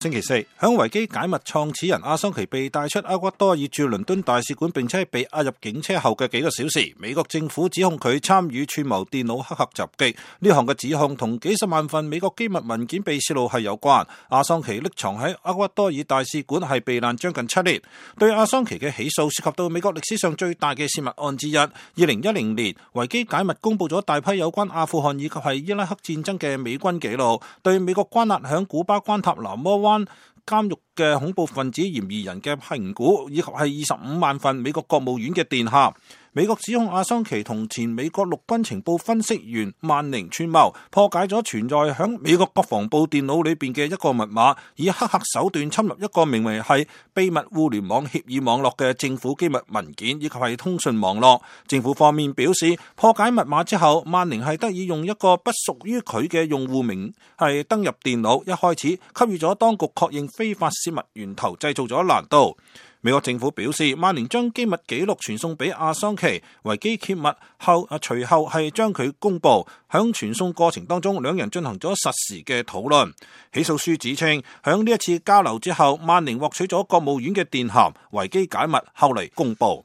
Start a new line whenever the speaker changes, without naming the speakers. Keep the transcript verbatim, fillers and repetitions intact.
星期四，響維基解密創始人阿桑奇被帶出厄瓜多爾駐倫敦大使館，並且被押入警車後嘅幾個小時，美國政府指控佢參與串謀電腦黑客襲擊。呢項嘅指控同幾十萬份美國機密文件被泄露係有關。阿桑奇匿藏喺厄瓜多爾大使館係避難將近七年。對阿桑奇嘅起訴涉及到美國歷史上最大嘅泄密案之一。二零一零年，維基解密公布咗大批有關阿富汗以及係伊拉克戰爭嘅美軍記錄，對美國關押響古巴關塔那摩灣監獄嘅恐怖分子嫌疑人嘅評估，以及係二十五萬份美國國務院嘅電函。美國指控阿桑奇同前美國陸軍情報分析員曼寧串謀，破解咗存在響美國國防部電腦裏邊嘅一個密碼，以黑客手段侵入一個名為係秘密互聯網協議網絡嘅政府機密文件以及係通訊網絡。政府方面表示，破解密碼之後，曼寧係得以用一個不屬於佢嘅用戶名係登入電腦，一開始給予咗當局確認非法泄密源頭製造咗難度。美國政府表示，曼寧將機密記錄傳送俾阿桑奇，維基揭密後啊，隨後係將佢公佈。響傳送過程當中，兩人進行咗實時嘅討論。起訴書指稱，響呢一次交流之後，曼寧獲取咗國務院嘅電函，維基解密後嚟公佈。